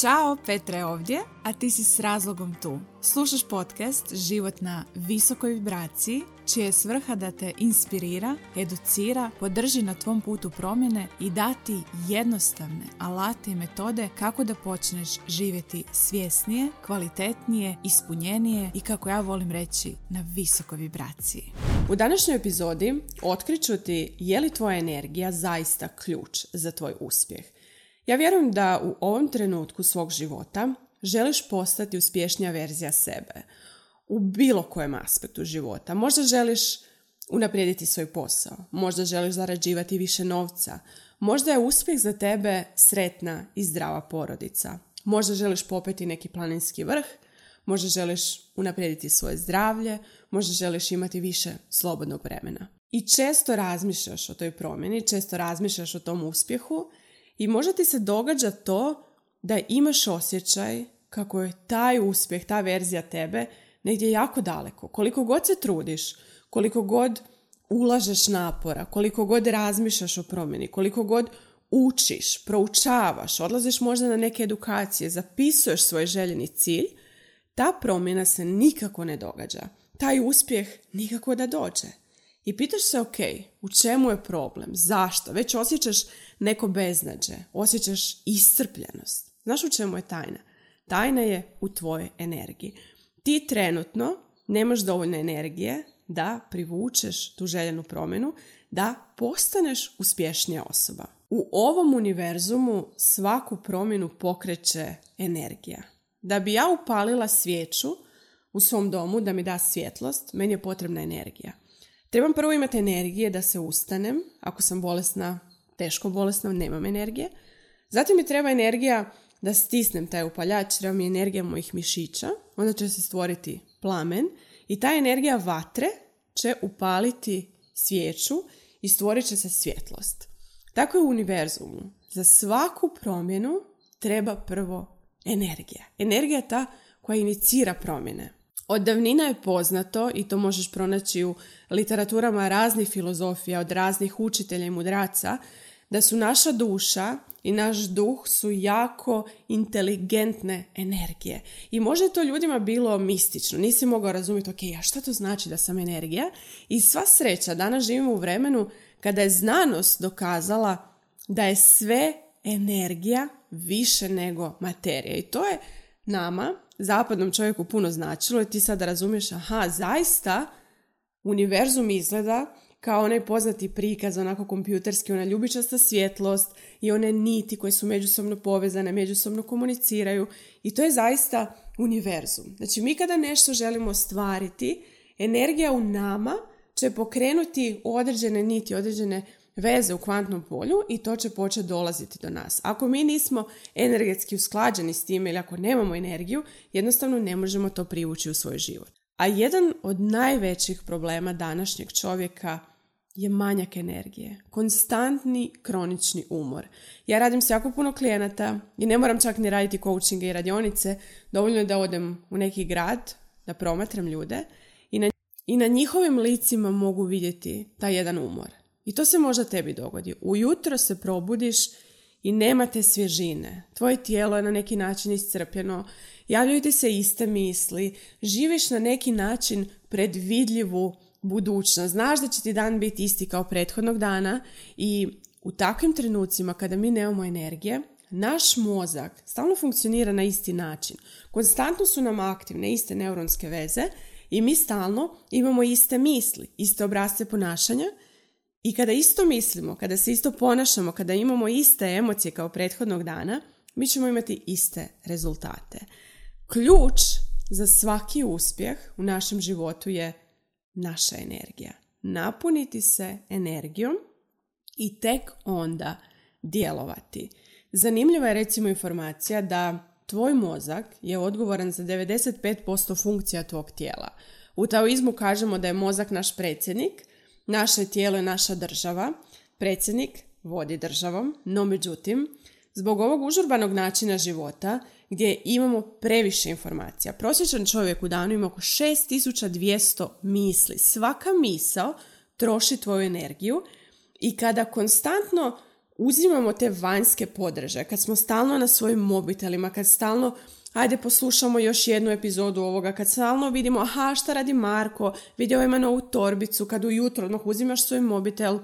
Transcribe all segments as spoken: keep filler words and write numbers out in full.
Ćao, Petra je ovdje, a ti si s razlogom tu. Slušaš podcast Život na visokoj vibraciji, čija je svrha da te inspirira, educira, podrži na tvom putu promjene i dati jednostavne alate i metode kako da počneš živjeti svjesnije, kvalitetnije, ispunjenije i, kako ja volim reći, na visokoj vibraciji. U današnjoj epizodi otkriću ti je li tvoja energija zaista ključ za tvoj uspjeh. Ja vjerujem da u ovom trenutku svog života želiš postati uspješnija verzija sebe u bilo kojem aspektu života. Možda želiš unaprijediti svoj posao, možda želiš zarađivati više novca, možda je uspjeh za tebe sretna i zdrava porodica, možda želiš popeti neki planinski vrh, možda želiš unaprijediti svoje zdravlje, možda želiš imati više slobodnog vremena. I često razmišljaš o toj promjeni, često razmišljaš o tom uspjehu i možda ti se događa to da imaš osjećaj kako je taj uspjeh, ta verzija tebe negdje jako daleko. Koliko god se trudiš, koliko god ulažeš napora, koliko god razmišljaš o promjeni, koliko god učiš, proučavaš, odlaziš možda na neke edukacije, zapisuješ svoj željeni cilj, ta promjena se nikako ne događa. Taj uspjeh nikako da dođe. I pitaš se, ok, u čemu je problem? Zašto? Već osjećaš neko beznađe, osjećaš iscrpljenost. Znaš u čemu je tajna? Tajna je u tvojoj energiji. Ti trenutno nemaš dovoljno energije da privučeš tu željenu promjenu, da postaneš uspješnija osoba. U ovom univerzumu svaku promjenu pokreće energija. Da bi ja upalila svijeću u svom domu, da mi da svjetlost, meni je potrebna energija. Trebam prvo imati energije da se ustanem, ako sam bolesna, teško bolesna, nemam energije. Zatim mi treba energija da stisnem taj upaljač, treba mi energija mojih mišića, onda će se stvoriti plamen i ta energija vatre će upaliti svijeću i stvorit će se svjetlost. Tako je u univerzumu. Za svaku promjenu treba prvo energija. Energija je ta koja inicira promjene. Od davnina je poznato, i to možeš pronaći u literaturama raznih filozofija, od raznih učitelja i mudraca, da su naša duša i naš duh su jako inteligentne energije. I možda je to ljudima bilo mistično, nisi mogao razumjeti, ok, a šta to znači da sam energija? I sva sreća, danas živimo u vremenu kada je znanost dokazala da je sve energija više nego materija. I to je nama, zapadnom čovjeku, puno značilo i ti sad razumiješ, aha, zaista univerzum izgleda kao onaj poznati prikaz, onako kompjuterski, ona ljubičasta svjetlost i one niti koje su međusobno povezane, međusobno komuniciraju i to je zaista univerzum. Znači mi kada nešto želimo ostvariti, energija u nama će pokrenuti određene niti, određene veze u kvantnom polju i to će početi dolaziti do nas. Ako mi nismo energetski usklađeni s time ili ako nemamo energiju, jednostavno ne možemo to privući u svoj život. A jedan od najvećih problema današnjeg čovjeka je manjak energije. Konstantni kronični umor. Ja radim s jako puno klijenata i ne moram čak ni raditi coachinge i radionice. Dovoljno je da odem u neki grad, da promatram ljude i na, i na njihovim licima mogu vidjeti taj jedan umor. I to se možda tebi dogodi. Ujutro se probudiš i nema te svježine. Tvoje tijelo je na neki način iscrpljeno, javljaju ti se iste misli, živiš na neki način predvidljivu budućnost. Znaš da će ti dan biti isti kao prethodnog dana i u takvim trenucima kada mi nemamo energije, naš mozak stalno funkcionira na isti način. Konstantno su nam aktivne iste neuronske veze i mi stalno imamo iste misli, iste obrasce ponašanja. I kada isto mislimo, kada se isto ponašamo, kada imamo iste emocije kao prethodnog dana, mi ćemo imati iste rezultate. Ključ za svaki uspjeh u našem životu je naša energija. Napuniti se energijom i tek onda djelovati. Zanimljiva je recimo informacija da tvoj mozak je odgovoran za devedeset pet posto funkcija tvog tijela. U taoizmu kažemo da je mozak naš predsjednik, naše tijelo je naša država, predsjednik vodi državom, no međutim, zbog ovog užurbanog načina života gdje imamo previše informacija, prosječan čovjek u danu ima oko šest tisuća dvjesto misli. Svaka misao troši tvoju energiju i kada konstantno uzimamo te vanjske podržaje, kad smo stalno na svojim mobitelima, kad stalno ajde poslušamo još jednu epizodu ovoga, kad stalno vidimo aha šta radi Marko, vidio ima novu torbicu, kad ujutro odmah uzimaš svoj mobitel,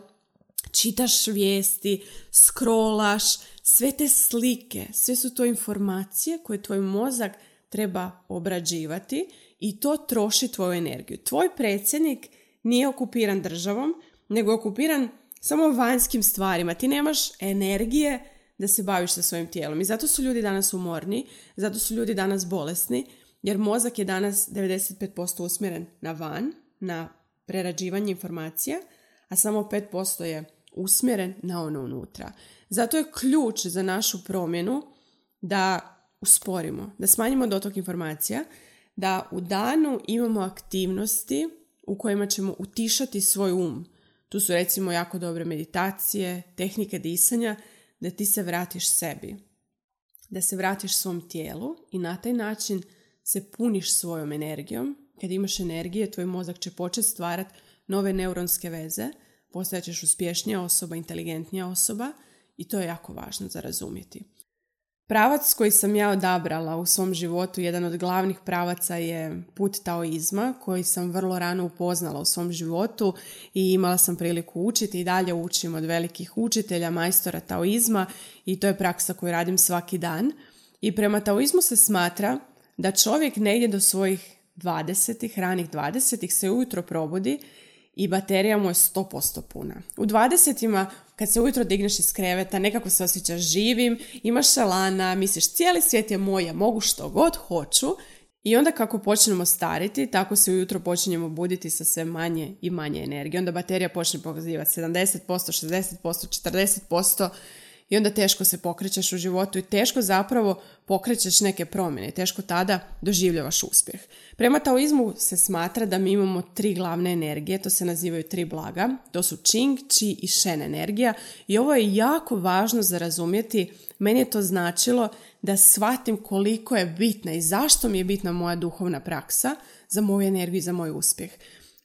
čitaš vijesti, scrollaš, sve te slike, sve su to informacije koje tvoj mozak treba obrađivati i to troši tvoju energiju. Tvoj predsjednik nije okupiran državom, nego je okupiran samo vanjskim stvarima. Ti nemaš energije da se baviš sa svojim tijelom. I zato su ljudi danas umorni, zato su ljudi danas bolesni, jer mozak je danas devedeset pet posto usmjeren na van, na prerađivanje informacija, a samo pet posto je usmjeren na ono unutra. Zato je ključ za našu promjenu da usporimo, da smanjimo dotok informacija, da u danu imamo aktivnosti u kojima ćemo utišati svoj um. Tu su recimo jako dobre meditacije, tehnike disanja, da ti se vratiš sebi, da se vratiš svom tijelu i na taj način se puniš svojom energijom. Kad imaš energije, tvoj mozak će početi stvarati nove neuronske veze, postajat ćeš uspješnija osoba, inteligentnija osoba i to je jako važno za razumjeti. Pravac koji sam ja odabrala u svom životu, jedan od glavnih pravaca je put taoizma koji sam vrlo rano upoznala u svom životu i imala sam priliku učiti i dalje učim od velikih učitelja, majstora taoizma i to je praksa koju radim svaki dan. I prema taoizmu se smatra da čovjek negdje do svojih dvadesetih, ranih dvadesetih se ujutro probudi i baterija mu je sto posto puna. U dvadesetima kad se ujutro digneš iz kreveta, nekako se osjećaš živim, imaš šalana, misliš cijeli svijet je moj, ja mogu što god hoću. I onda kako počnemo stariti, tako se ujutro počinjemo buditi sa sve manje i manje energije. Onda baterija počne pokazivati sedamdeset posto, šezdeset posto, četrdeset posto i onda teško se pokrećeš u životu i teško zapravo pokrećeš neke promjene. Teško tada doživljavaš uspjeh. Prema taoizmu se smatra da mi imamo tri glavne energije, to se nazivaju tri blaga. To su Qing, Qi i Shen energija i ovo je jako važno za razumjeti. Meni je to značilo da shvatim koliko je bitna i zašto mi je bitna moja duhovna praksa za moju energiju i za moj uspjeh.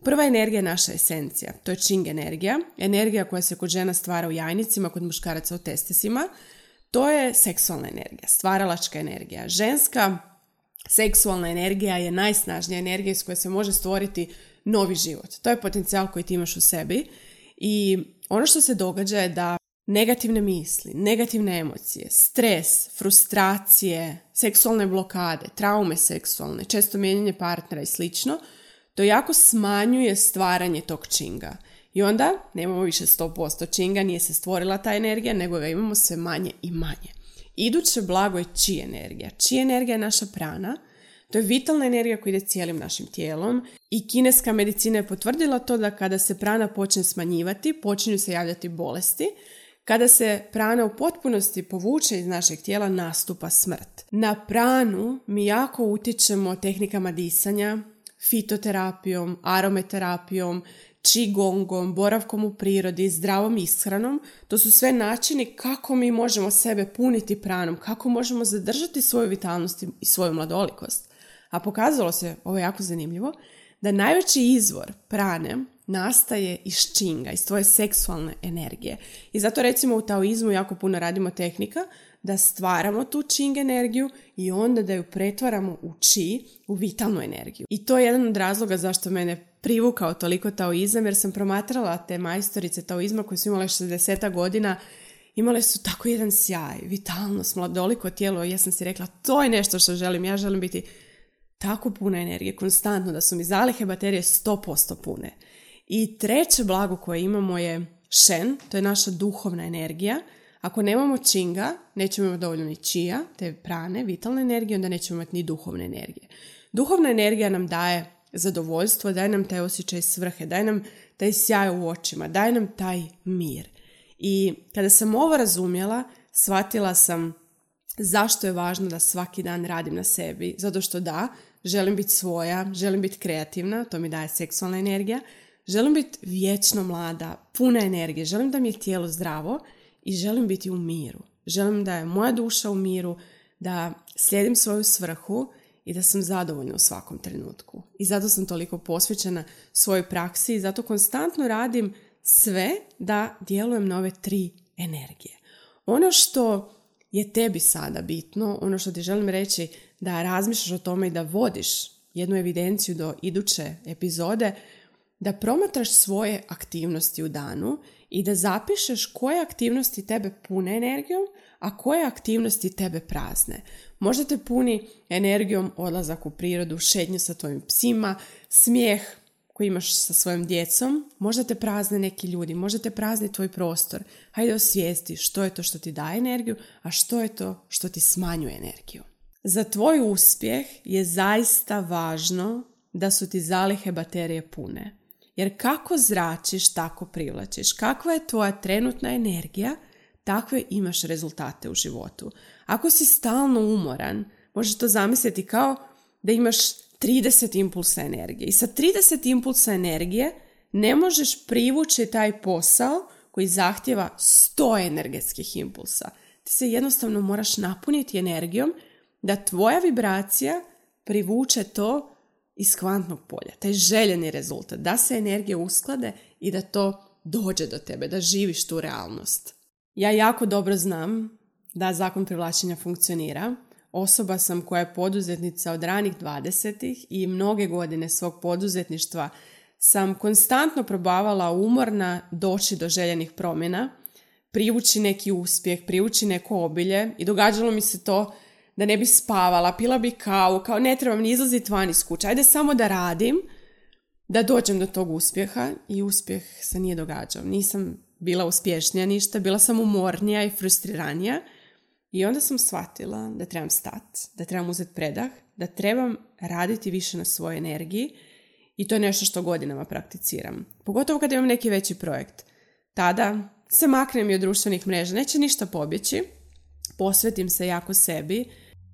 Prva energija je naša esencija, to je Qing energija, energija koja se kod žena stvara u jajnicima, kod muškaraca u testesima. To je seksualna energija, stvaralačka energija. Ženska seksualna energija je najsnažnija energija iz koje se može stvoriti novi život. To je potencijal koji ti imaš u sebi i ono što se događa je da negativne misli, negativne emocije, stres, frustracije, seksualne blokade, traume seksualne, često mijenjanje partnera i slično, to jako smanjuje stvaranje tog Qinga. I onda nemamo više sto posto Qinga, nije se stvorila ta energija, nego ga imamo sve manje i manje. Iduće blago je Qi energija. Qi energija je naša prana. To je vitalna energija koja ide cijelim našim tijelom i kineska medicina je potvrdila to da kada se prana počne smanjivati, počinju se javljati bolesti. Kada se prana u potpunosti povuče iz našeg tijela, nastupa smrt. Na pranu mi jako utječemo tehnikama disanja, fitoterapijom, arometerapijom, qigongom, boravkom u prirodi, zdravom ishranom. To su sve načini kako mi možemo sebe puniti pranom, kako možemo zadržati svoju vitalnost i svoju mladolikost. A pokazalo se, ovo je jako zanimljivo, da najveći izvor prane nastaje iz Qinga, iz tvoje seksualne energije. I zato recimo u taoizmu jako puno radimo tehnika da stvaramo tu Qing energiju i onda da ju pretvaramo u Qi, u vitalnu energiju. I to je jedan od razloga zašto mene privukao toliko taoizam, jer sam promatrala te majstorice taoizma koje su imale šezdeset godina, imale su tako jedan sjaj, vitalnost, mladoliko tijelo i ja sam si rekla to je nešto što želim, ja želim biti tako puna energije, konstantno, da su mi zalihe baterije sto posto pune. I treće blago koje imamo je Shen, to je naša duhovna energija. Ako nemamo Qinga, nećemo imati dovoljno ni Qia, te prane, vitalne energije, onda nećemo imati ni duhovne energije. Duhovna energija nam daje zadovoljstvo, daje nam taj osjećaj svrhe, daje nam taj sjaj u očima, daje nam taj mir. I kada sam ovo razumjela, shvatila sam zašto je važno da svaki dan radim na sebi. Zato što da, želim biti svoja, želim biti kreativna, to mi daje seksualna energija, želim biti vječno mlada, puna energije, želim da mi je tijelo zdravo i želim biti u miru. Želim da je moja duša u miru, da slijedim svoju svrhu i da sam zadovoljna u svakom trenutku. I zato sam toliko posvećena svojoj praksi i zato konstantno radim sve da djelujem na ove tri energije. Ono što je tebi sada bitno, ono što ti želim reći, da razmišljaš o tome i da vodiš jednu evidenciju do iduće epizode, da promatraš svoje aktivnosti u danu i da zapišeš koje aktivnosti tebe pune energijom, a koje aktivnosti tebe prazne. Možda te puni energijom odlazak u prirodu, šetnju sa tvojim psima, smijeh koji imaš sa svojom djecom, možda te prazne neki ljudi, možda te prazni tvoj prostor. Hajde osvijesti što je to što ti daje energiju, a što je to što ti smanjuje energiju. Za tvoj uspjeh je zaista važno da su ti zalihe baterije pune. Jer kako zračiš, tako privlačiš. Kakva je tvoja trenutna energija, takve imaš rezultate u životu. Ako si stalno umoran, možeš to zamisliti kao da imaš trideset impulsa energije. I sa trideset impulsa energije ne možeš privući taj posao koji zahtjeva sto energetskih impulsa. Ti se jednostavno moraš napuniti energijom da tvoja vibracija privuče to iz kvantnog polja, taj željeni rezultat, da se energije usklade i da to dođe do tebe, da živiš tu realnost. Ja jako dobro znam da zakon privlačenja funkcionira. Osoba sam koja je poduzetnica od ranih dvadesetih i mnoge godine svog poduzetništva sam konstantno probavala umorna doći do željenih promjena, privući neki uspjeh, privući neko obilje i događalo mi se to da ne bi spavala, pila bi kavu, kao ne trebam ni izlaziti van iz kuće, ajde samo da radim, da dođem do tog uspjeha i uspjeh se nije događao. Nisam bila uspješnija ništa, bila sam umornija i frustriranija i onda sam shvatila da trebam stati, da trebam uzeti predah, da trebam raditi više na svojoj energiji i to je nešto što godinama prakticiram. Pogotovo kad imam neki veći projekt. Tada se maknem i od društvenih mreža, neće ništa pobjeći, posvetim se jako sebi,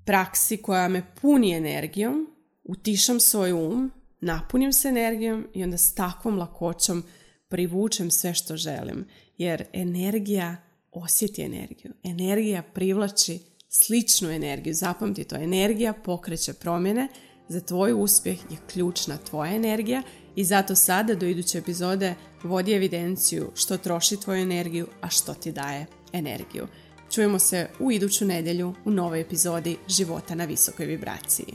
praksi koja me puni energijom, utišam svoj um, napunim se energijom i onda s takvom lakoćom privučem sve što želim. Jer energija osjeti energiju. Energija privlači sličnu energiju. Zapamti to, energija pokreće promjene. Za tvoj uspjeh je ključna tvoja energija i zato sada do iduće epizode vodi evidenciju što troši tvoju energiju, a što ti daje energiju. Čujemo se u iduću nedjelju u novoj epizodi Života na visokoj vibraciji.